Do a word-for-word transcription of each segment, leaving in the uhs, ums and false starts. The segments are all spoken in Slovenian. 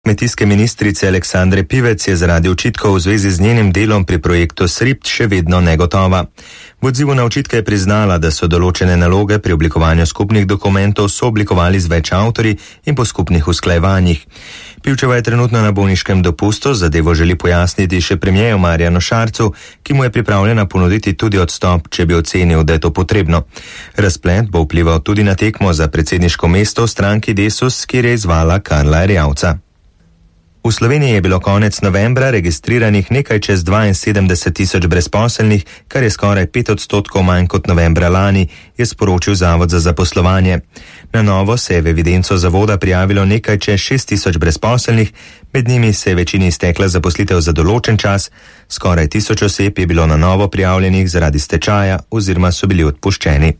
kmetijske ministrice Aleksandre Pivec je zaradi očitkov v zvezi z njenim delom pri projektu S R I P T še vedno negotova. V odzivu na očitke je priznala, da so določene naloge pri oblikovanju skupnih dokumentov sooblikovali z več avtorji in po skupnih usklajevanjih. Pivčeva je trenutno na bolniškem dopustu, zadevo želi pojasniti še premierju Marjanu Šarcu, ki mu je pripravljena ponuditi tudi odstop, če bi ocenil, da je to potrebno. Razplet bo vplival tudi na tekmo za predsedniško mesto v stranki Desus, kjer je izvala Karla Erjavca. V Sloveniji je bilo konec novembra registriranih nekaj čez dvainsedemdeset tisoč brezposelnih, kar je skoraj pet odstotkov manj kot novembra lani, je sporočil Zavod za zaposlovanje. Na novo se je v evidenco zavoda prijavilo nekaj čez šest tisoč brezposelnih, med njimi se je večini iztekla zaposlitev za določen čas, skoraj tisoč oseb je bilo na novo prijavljenih zaradi stečaja oziroma so bili odpuščeni.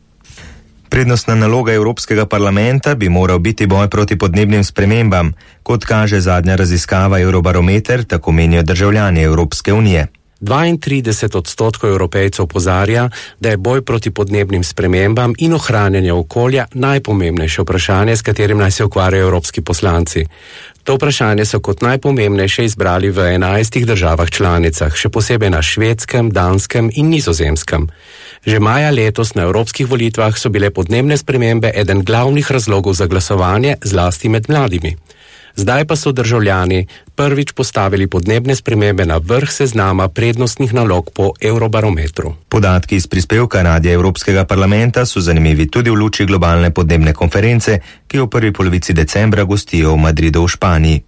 Prednostna naloga Evropskega parlamenta bi moral biti boj proti podnebnim spremembam, kot kaže zadnja raziskava Eurobarometer, tako menijo državljani Evropske unije. dvaintrideset odstotkov Evropejcev opozarja, da je boj proti podnebnim spremembam in ohranjanje okolja najpomembnejše vprašanje, s katerim naj se ukvarjajo evropski poslanci. To vprašanje so kot najpomembnejše izbrali v enajstih državah članicah, še posebej na Švedskem, Danskem in Nizozemskem. Že maja letos na evropskih volitvah so bile podnebne spremembe eden glavnih razlogov za glasovanje, zlasti med mladimi. Zdaj pa so državljani prvič postavili podnebne spremembe na vrh seznama prednostnih nalog po Eurobarometru. Podatki iz prispevka Radia Evropskega parlamenta so zanimivi tudi v luči globalne podnebne konference, ki jo v prvi polovici decembra gostijo v Madridu v Španiji.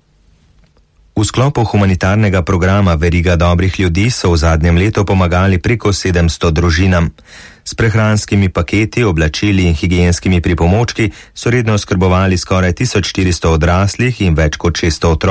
V sklopu humanitarnega programa Veriga dobrih ljudi so v zadnjem letu pomagali preko sedemsto družinam. S prehranskimi paketi, oblačili in higienskimi pripomočki so redno oskrbovali skoraj tisoč štiristo odraslih in več kot šeststo otrok.